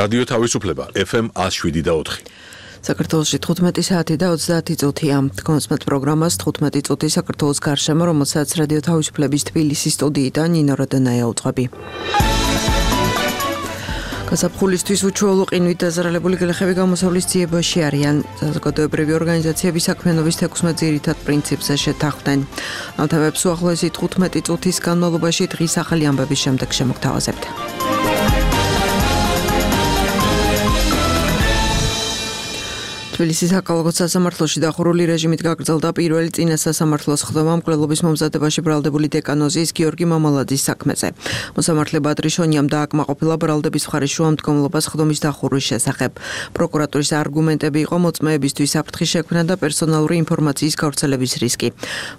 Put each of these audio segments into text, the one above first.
რადიო თავისუფლება FM 107.4. საქართველოში 15 საათი და 30 წუთია. კონსმეთ პროგრამას 15 წუთი საქართველოს გარშემო, რომელსაც რადიო თავისუფლების თბილისის სტუდიიდან ნინო როდონაია უძღვები. გაზაფხულისთვის უჩვეულო ყინვით დაზარალებული გლეხები გამოსავლის ძიებაში არიან. საზოგადოებრივი ორგანიზაციები საქმიანობის 16 ძირითად პრინციპზე შეთანხმდნენ. ამ თემებს უახლოესი 15 წუთის განმავლობაში დღის ახალი ამბების შემდეგ შემოგთავაზებთ. თბილისის საკალათბურთო სასამართლოში დახურული რეჟიმით გაგრძელდა პირველი წინა სასამართლოს ხდომა მკვლელობის მომზადებაში ბრალდებული დეკანოზის გიორგი მამალაძის საქმეზე. მოსამართლე ბადრიშონიამ დააკმაყოფილა ბრალდების მხარის შუამდგომლობას ხდომის დახურვის შესახებ. პროკურატურის არგუმენტები იყო მოწმეებისთვის საფრთხის შექმნა და პერსონალური ინფორმაციის გავრცელების რისკი.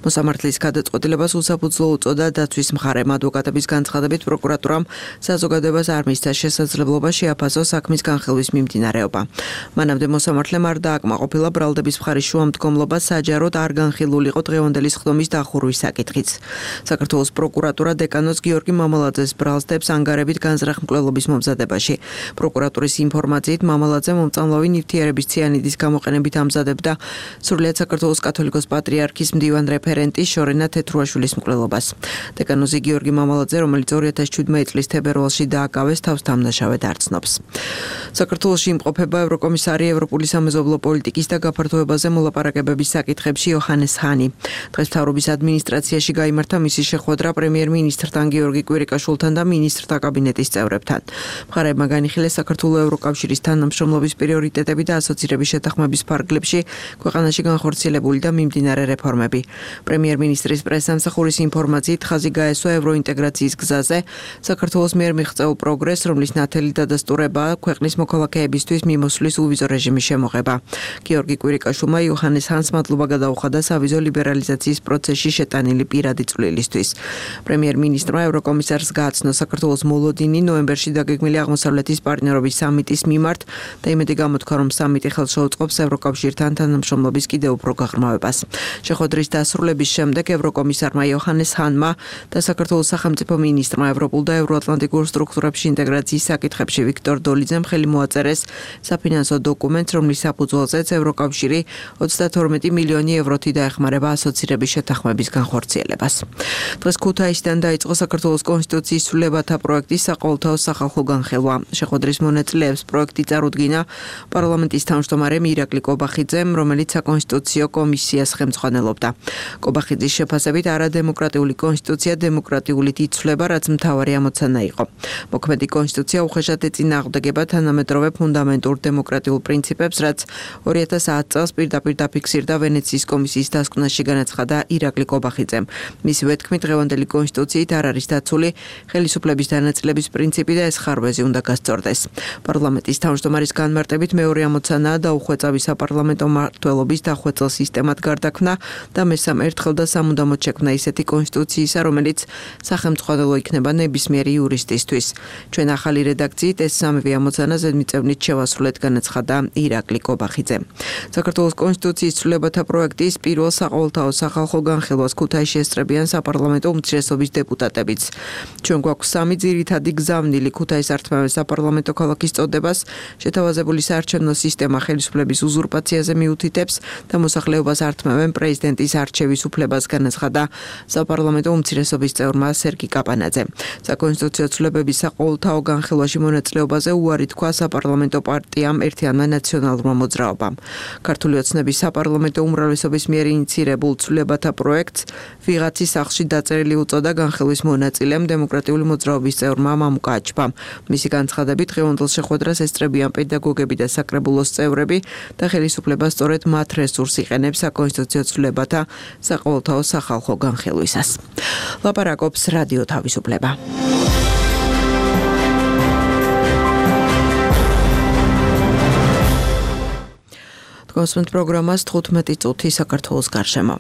მოსამართლის გადაწყვეტილებას უსაფუძვლო უწოდა დაცვის მხარემ. ადვოკატების განცხადებით პროკურატურამ საზოგადოებას არ მისცა შესაძლებლობა შეაფასოს საქმის განხილვის მიმდინარეობა. მანამდე მოსამართლემ დააკმაყოფილა ბრალდების მხარის შუამდგომლობა საჯაროდ არ განხილულიყო დღევანდელი ხდომის დახურვის საკითხიც. საქართველოს პროკურატურა დეკანოზ გიორგი მამალაძეს ბრალს დებს ანგარებით განზრახ მკვლელობის მომზადებაში. პროკურატურის ინფორმაციით მამალაძე მომწამლავი ნივთიერების ციანიდის გამოყენებით ამზადებდა სრულიად საქართველოს კათოლიკოს პატრიარქის მდივან რეფერენტის შორენა თეთრუაშვილის მკვლელობას. დეკანოზი გიორგი მამალაძე, რომელიც 2017 წლის თებერვალში დააკავეს, თავს დამნაშავედ არ ცნობს. საქართველოში იმყოფება ევროკომისარი ევროპული სამეზობლო პოლიტიკის და გაფართოებაზე მოლაპარაკებების საკითხებში იოჰანეს ჰანი. დღეს მთავრობის ადმინისტრაციაში გაიმართა მისი შეხვედრა პრემიერ-მინისტრთან გიორგი კვირიკაშვილთან და მინისტრთა კაბინეტის წევრებთან. მხარეებმა განიხილეს საქართველოს ევროკავშირის თანამშრომლობის პრიორიტეტები და ასოცირების შეთანხმების ფარგლებში ქვეყანაში განხორციელებული და მიმდინარე რეფორმები. პრემიერ-მინისტრის პრესსამსახურის ინფორმაციით ხაზი გაესვა ევროინტეგრაციის გზაზე საქართველოს მიერ მიღწეულ პროგრესს, რომლის ნათელი დადასტურებაა ქვეყნის მოქალაქეებისთვის მიმოსვლის უვიზო რეჟიმის შემოღება. გიორგი კვირიკაშვილმა იოჰანეს ჰანს მადლობა გადაუხადა სავიზო ლიბერალიზაციის პროცესში შეტანილი პირადი წვლილისთვის. პრემიერ-მინისტრმა ევროკომისარს გააცნო საქართველოს მოლოდინი ნოემბერში დაგეგმილი აღმოსავლეთის პარტნიორობის სამიტის მიმართ და იმედი გამოთქვა, რომ სამიტი ხელს შეუწყობს ევროკავშირთან თანამშრომლობის კიდევ უფრო გაღრმავებას. შეხვედრის დასრულების შემდეგ ევროკომისარმა იოჰანეს ჰანმა და საქართველოს სახელმწიფო მინისტრმა ევროპულ და ევროატლანტიკურ სტრუქტურებში ინტეგრაციის საკითხებში ვიქტორ დოლიძემ ხელი მოაწერეს საფინანსო დოკუმენტს, რომლის საფუძველზეც ევროკავშირი 32 მილიონი ევროთი დაეხმარება ასოცირების შეთანხმების განხორციელებას. დღეს ქუთაისიდან დაიწყო საქართველოს კონსტიტუციის ცვლილებათა პროექტის საყოველთაო სახალხო განხილვა. შეხვედრის მონაწილეებს პროექტი წარუდგინა პარლამენტის თავმჯდომარემ ირაკლი კობახიძემ, რომელიც საკონსტიტუციო კომისიას ხელმძღვანელობდა. კობახიძის შეფასებით არადემოკრატიული კონსტიტუცია დემოკრატიულით იცვლება, რაც მთავარი ამოცანა იყო. მოქმედი კონსტიტუცია უხეშად ეწინააღმდეგება თანამედროვე ფუნდამენტურ დემოკრატიულ პრინციპებს, რაც 2010 წელს პირდაპირ დაფიქსირდა ვენეციის კომისიის დასკვნაში, განაცხადა ირაკლი კობახიძემ. მისივე თქმით, დღევანდელი კონსტიტუციით არ არის დაცული ხელისუფლების დანაწილების პრინციპი და ეს ხარვეზი უნდა გასწორდეს. პარლამენტის თავმჯდომარის განმარტებით მეორე ამოცანაა დაუხვეწავი საპარლამენტო მმართველობის დახვეწილ სისტემად გარდაქმნა და მესამე ერთხელ და სამუდამოდ შექმნა ისეთი კონსტიტუციისა, რომელიც სახელმძღვანელო იქნება ნებისმიერი იურისტისთვის. ჩვენ ახალი რედაქციით ეს სამივე ამოცანა ზედმიწევნით შევასრულეთ, განაცხადა ირაკლი კობახიძე. საქართველოს კონსტიტუციის ცვლილებათა პროექტის პირველ საყოველთაო სახალხო განხილვას ქუთაისში ესწრებიან საპარლამენტო უმცირესობის დეპუტატებიც. ჩვენ გვაქვს სამი ძირითადი გზავნილი: ქუთაის ართმევენ საპარლამენტო ქალაქის წოდებას, შეთავაზებული საარჩევნო სისტემა ხელისუფლების უზურპაციაზე მიუთითებს და მოსახლეობას ართმევენ პრეზიდენტის არჩევის უფლებას, განაცხადა საპარლამენტო უმცირესობის წევრმა სერგი კაპანაძე. საკონსტიტუციო ცვლილებების საყოველთაო განხილვაში მონაწილეობაზე უარი თქვა საპარლამენტო პარტიამ ერთიანმა ნაციონალურმა მოძრაობამ. ქართული ოცნების საპარლამენტო უმრავლესობის მიერ ინიცირებულ ცვლილებათა პროექტს ვიღაცის სახლში დაწერილი უწოდა განხილვის მონაწილემ დემოკრატიული მოძრაობის წევრმა მამუკა აჩბამ. მისი განცხადებით, დღევანდელ შეხვედრას ესწრებიან პედაგოგები და საკრებულოს წევრები და ხელისუფლება სწორედ მათ რესურსს იყენებს საკონსტიტუციო ცვლილებათა საყოველთაო სახალხო განხილვისას. ლაპარაკობს რადიო თავისუფლება. კონსმეთ პროგრამას 15 წუთი საქართველოს გარშემო.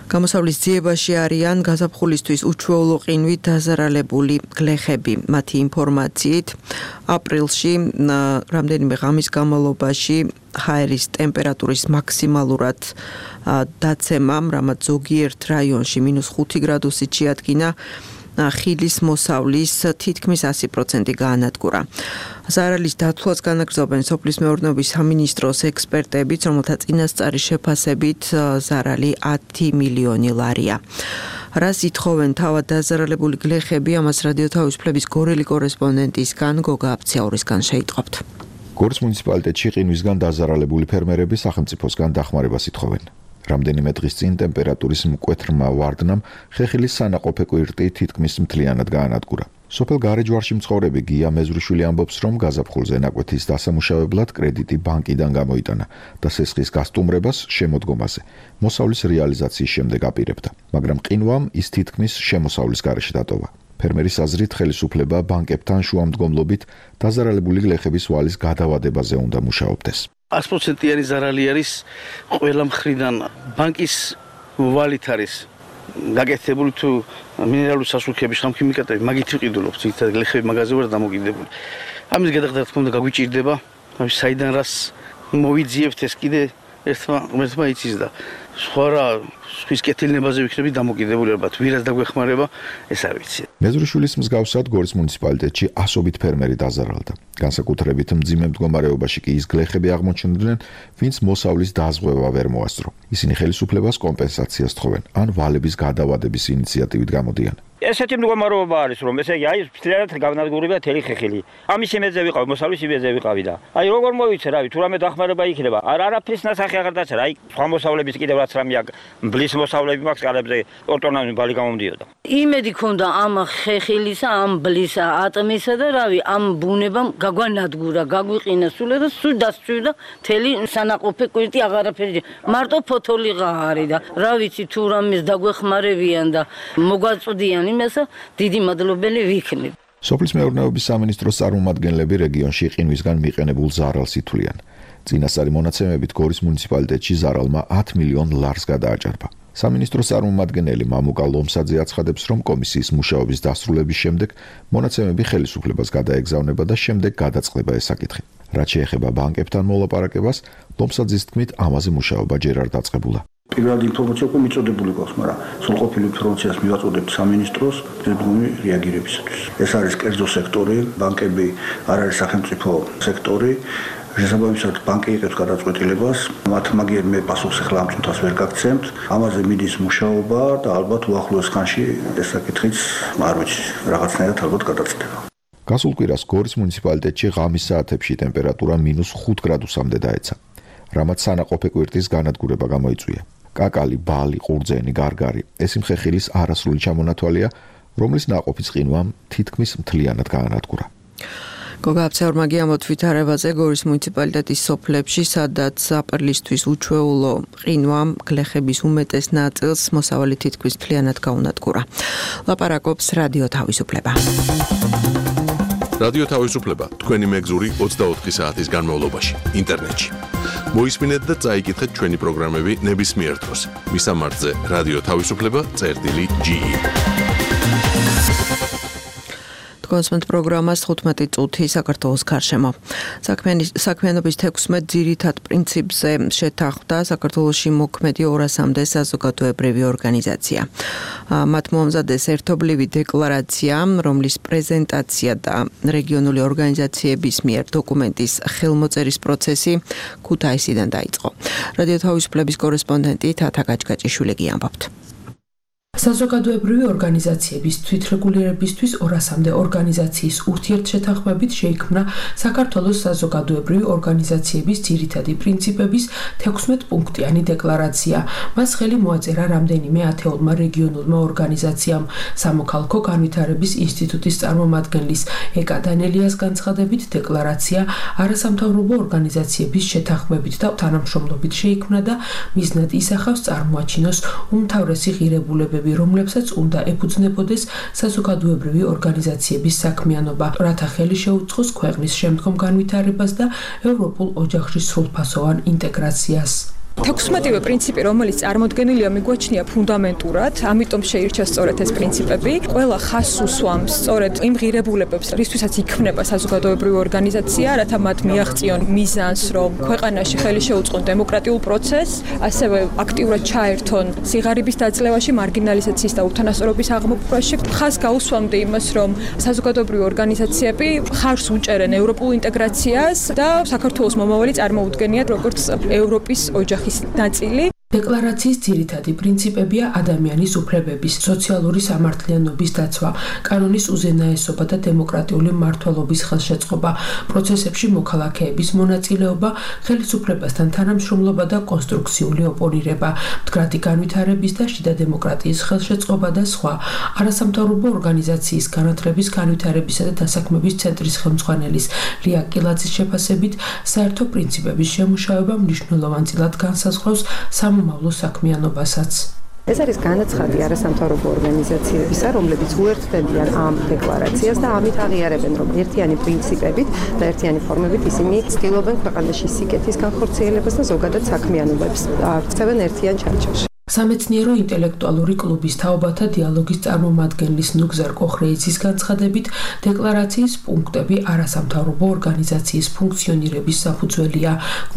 გამოსავლის ძიებაში არიან გაზაფხულისთვის უჩვეულო ყინვით დაზარალებული გლეხები. მათი ინფორმაციით, აპრილში რამდენიმე ღამის განმავლობაში ჰაერის ტემპერატურის მაქსიმალურად დაცემამ, რამაც ზოგიერთ რაიონში -5 გრადუსით შეადგინა ხილის მოსავლის თითქმის 100% გაანადგურა. ზარალის დათვლას განაგრძობენ სოფლის მეურნეობის სამინისტროს ექსპერტებიც, რომელთა წინასწარი შეფასებით ზარალი 10 მილიონი ლარია. რას ითხოვენ თავად დაზარალებული გლეხები, ამას რადიო თავისუფლების გორელი კორესპონდენტისგან გოგა აფციაურისგან შეიტყობთ. გორის მუნიციპალიტეტში ყინვისგან დაზარალებული ფერმერები სახელმწიფოსგან დახმარებას ითხოვენ. რამდენიმე დღის წინ ტემპერატურის მკვეთრმა ვარდნამ ხეხილის სანაყოფე კვირტი თითქმის მთლიანად გაანადგურა. სოფელ გარეჯვარში მცხოვრები გია მეზვრიშვილი ამბობს, რომ გაზაფხულზე ნაკვეთის დასამუშავებლად კრედიტი ბანკიდან გამოიტანა და სესხის გასტუმრებას შემოდგომაზე მოსავლის რეალიზაციის შემდეგ აპირებდა, მაგრამ ყინვამ ის თითქმის შემოსავლის გარეშე დატოვა. ფერმერის აზრით, ხელისუფლება ბანკებთან შუამდგომლობით დაზარალებული გლეხების ვალის გადავადებაზე უნდა მუშაობდეს. 100%-იანი ზარალი არის ყველა მხრიდან. ბანკის ვალით არის გაკეთებული თუ მინერალური სასულქების ხამქიმიკატები მაგით ვიყიდულობთ, თითქოს გლეხები მაგაზე ვარ დამოკიდებული. ამის გადახდა რა თქმა უნდა გაგვიჭირდება, საიდან რას მოვიძიებთ ეს კიდე ერთმა იცის და სხვა რა ხვის კეთილნებაზე ვიქნები დამოკიდებული ალბათ, ვირას დაგვეხმარება, ეს არ ვიცი. მეზვრიშვილის მსგავსად გორის მუნიციპალიტეტში ასობით ფერმერი დაზარალდა. განსაკუთრებით მძიმე მდგომარეობაში კი ის გლეხები აღმოჩნდნენ, ვინც მოსავლის დაზღვევა ვერ მოასწრო. ისინი ხელისუფლებას კომპენსაციას თხოვენ, ან ვალების გადავადების ინიციატივით გამოდიან. ესეთი მდგომარეობა არის, რომ ესე იგი აი მთლიანად გავნადგურებია თელი ხეხილი. ამის იმედზე ვიყავი, მოსავლის იმედზე ვიყავი და აი როგორ მოვიცე, რავი, თუ რამე დახმარება იქნება. არაფრის ნასახი აღარ დაწერა, აი სხვა მოსავლების კიდევ რაც რამე აქვს, ბლის მოსავლები მაქვს ყალებზე ორტონამი ბალი გამომდიოდა. იმედი ქონდა ამ ხეხილისა, ამ ბლისა, ატმისა და რავი, ამ ბუნებამ გაგვანადგურა, გაგვიყინა სულ და სულ დასწვიდა თელი სანაყოფე კვირტი აღარაფერი. მარტო ფოთოლიღა არის და რა ვიცი თუ რამეს დაგვეხმარებიან და მოგვაწვდიან იმასა, დიდი მადლობელი ვიქნები. სოფლის მეურნეობის სამინისტროს წარმომადგენლები რეგიონში ყინვისგან მიყენებულ ზარალს ითვლიან. წინასწარი მონაცემებით გორის მუნიციპალიტეტში ზარალმა 10 მილიონ ლარს გადააჭარბა. სამინისტროს წარმომადგენელი მამუკა ლომსაძე აცხადებს, რომ კომისიის მუშაობის დასრულების შემდეგ მონაცემები ხელისუფლებას გადაეგზავნება და შემდეგ გადაწყდება ეს საკითხი. რაც შეეხება ბანკებთან მოლაპარაკებას, ლომსაძის თქმით, ამაზე მუშაობა ჯერ არ დაწყებულა. პირველად ინფორმაცია უკვე მიწოდებული გვაქვს, მაგრამ სრულყოფილი ინფორმაციას მივაწოდებთ სამინისტროს ძებნული რეაგირებისათვის. ეს არის კერძო სექტორი, ბანკები არ არის სახელმწიფო სექტორი. შესაბამისად, ბანკი იღებს გადაწყვეტილებას, მათ მაგერ მე პასუხს ახლა ამ წუთას ვერ გაგცემთ. ამაზე მიდის მუშაობა და ალბათ უახლოეს ხანში ეს საკითხიც არ ვიცი, რაღაცნაირად ალბათ გადაწდება. გასულ კვირას გორის მუნიციპალიტეტში ღამის საათებში ტემპერატურა -5 გრადუსამდე დაეცა, რამაც სანაყოფე კვირტის განადგურება გამოიწვია. კაკალი, ბალი, ყურძენი, გარგარი, ეს იმ ხეხილის არასრული ჩამონათვალია, რომლის ნაყოფის ყინვამ თითქმის მთლიანად გაანადგურა. გოგა აფციაურმა გიამბობთ ვითარებაზე გორის მუნიციპალიტეტის სოფლებში, სადაც აპრილისთვის უჩვეულო ყინვამ გლეხების უმეტეს ნაწილს მოსავალი თითქმის მთლიანად გაუნადგურა. ლაპარაკობს რადიო თავისუფლება. რადიო თავისუფლება თქვენი მეგზური 24 საათის განმავლობაში ინტერნეტში. მოისმინეთ და წაიკითხეთ ჩვენი პროგრამები ნებისმიერ დროს. მისამართზე რადიო თავისუფლება.ge. კონსმენტ პროგრამას 15 წუთი საქართველოს გარშემო. საქმიანობის 16 ძირითად პრინციპზე შეთანხმდა საქართველოში მოქმედი 200-მდე საზოგადოებრივი ორგანიზაცია. მათ მოამზადეს ერთობლივი დეკლარაცია, რომლის პრეზენტაცია და რეგიონული ორგანიზაციების მიერ დოკუმენტის ხელმოწერის პროცესი ქუთაისიდან დაიწყო. რადიო თავისუფლების კორესპონდენტი თათა გაჭგაჭიშვილი გიამბობთ. საზოგადოებრივი ორგანიზაციების თვითრეგულირებისთვის 200-მდე ორგანიზაციის ურთიერთშეთანხმებით შეიქმნა საქართველოს საზოგადოებრივი ორგანიზაციების ძირითადი პრინციპების 16 პუნქტიანი დეკლარაცია. მას ხელი მოაწერა რამდენიმე ათეულმა რეგიონულმა ორგანიზაციამ. სამოქალაქო განვითარების ინსტიტუტის წარმომადგენლის ეკა დანელიას განცხადებით, დეკლარაცია არასამთავრობო ორგანიზაციების შეთანხმებით და თანამშრომლობით შეიქმნა და მიზნად ისახავს წარმოაჩინოს უმთავრესი ღირებულებები, რომლებსაც უნდა ეფუძნებოდეს საზოგადოებრივი ორგანიზაციების საქმიანობა, რათა ხელი შეუწყოს ქვეყნის შემდგომ განვითარებას და ევროპულ ოჯახში სრულფასოვან ინტეგრაციას. 16-ვე პრინციპი, რომელიც წარმოდგენილია, მიგვაჩნია ფუნდამენტურად, ამიტომ შეირჩა სწორედ ეს პრინციპები. ყველა ხაზს უსვამს სწორედ იმ ღირებულებებს, რისთვისაც იქმნება საზოგადოებრივი ორგანიზაცია, რათა მათ მიაღწიონ მიზანს, რომ ქვეყანაში ხელი შეუწყონ დემოკრატიულ პროცესს, ასევე აქტიურად ჩაერთონ სიღარიბის დაძლევაში, მარგინალიზაციის და უთანასწორობის აღმოფხვრაში. ხაზს გაუსვამდი იმას, რომ საზოგადოებრივი ორგანიზაციები ხარს უჭერენ ევროპულ ინტეგრაციას და საქართველოს მომავალი წარმოუდგენიათ როგორც ევროპის ოჯახის ნაწილი. დეკლარაციის ძირითადი პრინციპებია ადამიანის უფლებების, სოციალური სამართლიანობის დაცვა, კანონის უზენაესობა და დემოკრატიული მმართველობის ხელშეწყობა, პროცესებში მოქალაქეების მონაწილეობა, ხელისუფლებასთან თანამშრომლობა და კონსტრუქციული ოპონირება, მდგრადი განვითარების და შიდა დემოკრატიის ხელშეწყობა და სხვა. არასამთავრობო ორგანიზაციის განათლების, განვითარებისა და დასაქმების ცენტრის ხელმძღვანელის ლია კილაძის შეფასებით, საერთო პრინციპების შემუშავება მნიშვნელოვან წილად განსაზღვრავს მომავლო საქმიანობასაც. ეს არის განაცხადი არასამთავრობო ორგანიზაციებისა, რომლებიც უერთდებიან ამ დეკლარაციას და ამით აღიარებენ, რომ ერთიანი პრინციპებით და ერთიანი ფორმებით ისინი ცდილობენ ქვეყანაში სიკეთის განხორციელებას და ზოგადად საქმიანობებს აღწევენ ერთიან ჩარჩოში. სამეცნიერო ინტელექტუალური კლუბის თაობათა დიალოგის წარმომადგენლის ნუგზარ კოხრეიძის განცხადებით, დეკლარაციის პუნქტები არასამთავრობო ორგანიზაციის ფუნქციონირების საფუძველია.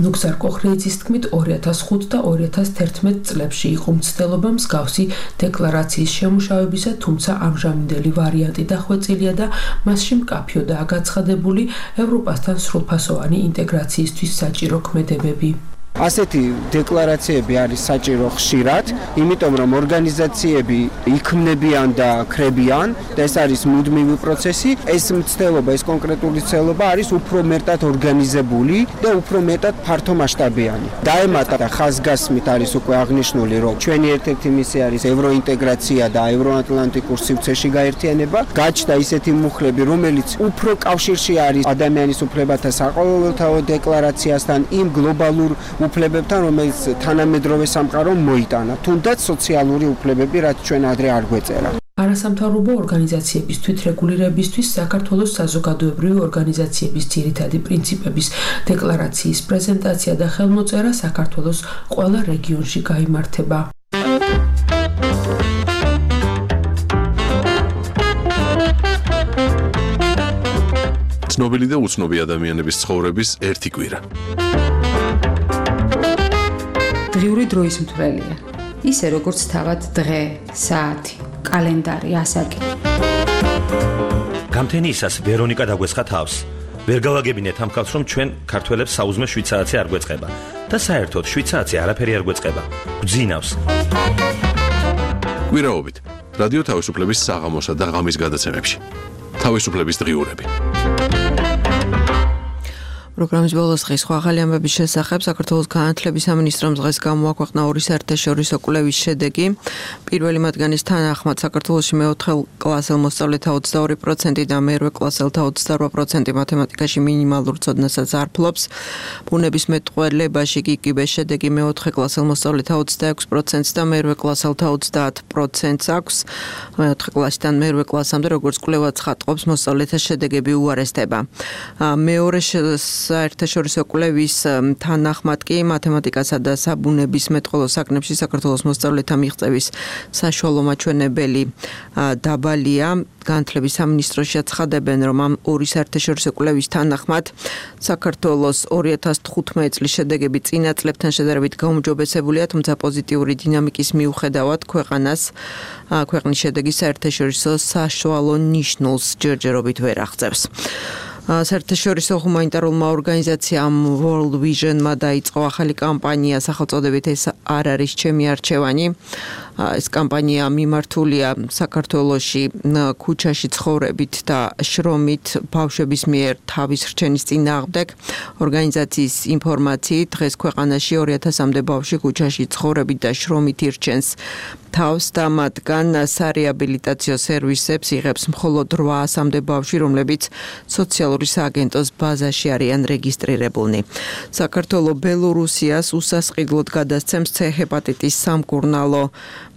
ნუგზარ კოხრეიძის თქმით, 2005 და 2011 წლებში იყო მცდელობა მსგავსი დეკლარაციის შემუშავებისა, თუმცა ამჟამინდელი ვარიანტი დახვეწილია და მასში მკაფიოდაა გაცხადებული ევროპასთან სრულფასოვანი ინტეგრაციისთვის საჭირო ქმედებები. ასეთი დეკლარაციები არის საჭირო ხშირად, იმიტომ რომ ორგანიზაციები იქმნებიან და ხრებიან და ეს არის მუდმივი პროცესი. ეს მცდელობა, ეს კონკრეტული მცდელობა არის უფრო მეტად ორგანიზებული და უფრო მეტად ფართომასშტაბიანი. დაემატა და ხაზგასმით არის უკვე აღნიშნული, რომ ჩვენი ერთ-ერთი მისია არის ევროინტეგრაცია და ევროატლანტიკურ სივრცეში გაერთიანება. გაჩნდა ისეთი მუხლები, რომელიც უფრო კავშირში არის ადამიანის უფლებათა საყოველთაო დეკლარაციასთან, იმ გლობალურ უფლებებთან, რომელიც თანამედროვე სამყარომ მოიტანა, თუნდაც სოციალური უფლებები, რაც ჩვენ ადრე არ გვეწერა. არასამთავრობო ორგანიზაციების თვითრეგულირებისთვის საქართველოს საზოგადოებრივი ორგანიზაციების ძირითადი პრინციპების დეკლარაციის პრეზენტაცია და ხელმოწერა საქართველოს ყველა რეგიონში გაიმართება. ცნობილი და უცნობი ადამიანების ცხოვრების ერთი კვირა. დღიური დროის მთვრელია. ისე როგორც თავად დღე, საათი, კალენდარი, ასაკი. გამთენიისას ვერონიკა დაგვესხა თავს. ვერ გავაგებინეთ ამ ხალხს, რომ ჩვენ ქართველებს საუზმე შვიცარაცი არ გვეწყება და საერთოდ შვიცარაცი არაფერი არ გვეწყება. გძინავს. კვირაობით რადიო თავისუფლების საღამოსა და ღამის გადაცემებში. თავისუფლების დღიურები. პროგრამის ბოლოს დღის ახალი ამბების შესახებ საქართველოს განათლების სამინისტრომ დღეს გამოაქვეყნა ორი საერთაშორისო კვლევის შედეგი. პირველი მათგანის თანახმად საქართველოში მეოთხე კლასელ მოსწავლეთა 22% და მერვე კლასელთა 28% მათემატიკაში მინიმალურ ცოდნასაც არ ფლობს. ბუნებისმეტყველებაში კი შედეგი მეოთხე კლასელ მოსწავლეთა 26%-ს და მერვე კლასელთა 30%-ს აქვს. მეოთხე კლასიდან მერვე კლასამდე, როგორც კვლევა ცხადყოფს, მოსწავლეთა შედეგები უარესდება. მეორე საერთაშორისო კვლევის თანახმად კი მათემატიკასა და საბუნებისმეტყველო საქმეებში საქართველოს მოსწავლეთა მიღწევის საშუალო მაჩვენებელი დაბალია. განათლების სამინისტროში აცხადებენ, რომ ამ ორი საერთაშორისო კვლევის თანახმად საქართველოს 2015 წლის შედეგები წინა წლებთან შედარებით გაუმჯობესებულია, თუმცა პოზიტიური დინამიკის მიუხედავად ქვეყნის შედეგი საერთაშორისო საშუალო ნიშნულს ჯერჯერობით ვერ აღწევს. საერთაშორისო ჰუმანიტარულმა ორგანიზაციამ World Vision-მა დაიწყო ახალი კამპანია სახელწოდებით ეს არ არის ჩემი არჩევანი. ეს კამპანია მიმართულია საქართველოში ქუჩაში ცხოვრებით და შრომით ბავშვების მიერ თავის რჩენის წინააღმდეგ. ორგანიზაციის ინფორმაციით დღეს ქვეყანაში 2000-მდე ბავშვი ქუჩაში ცხოვრებით და შრომით ირჩენს თავს და მათგან სარეაბილიტაციო სერვისებს იღებს მხოლოდ 800-მდე ბავშვი, რომლებიც სოციალური სააგენტოს ბაზაში არიან რეგისტრირებულნი. საქართველო ბელორუსიას უსასყიდლოდ გადასცემს C ჰეპატიტის სამკურნალო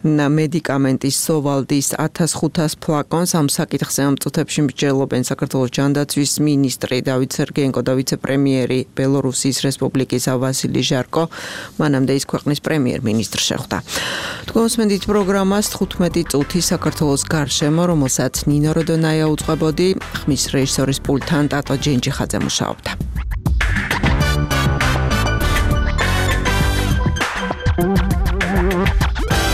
მედიკამენტის სოვალდის 1500 ფლაკონს ამ საკითხზე ამ წუთებში მსჯელობენ საქართველოს ჯანდაცვის მინისტრი დავით სერგეენკო და ვიცე-პრემიერი ბელორუსიის რესპუბლიკის ვასილი ჟარკო. მანამდე ის ქვეყნის პრემიერ-მინისტრს შეხვდა. თქვენს მედით პროგრამას 15 წუთი საქართველოს გარშემო, რომელსაც ნინო როდონაია უწყებოდი, ხმის რეჟისორის პულტთან ტატო ჯენჯიხაძე მუშაობდა.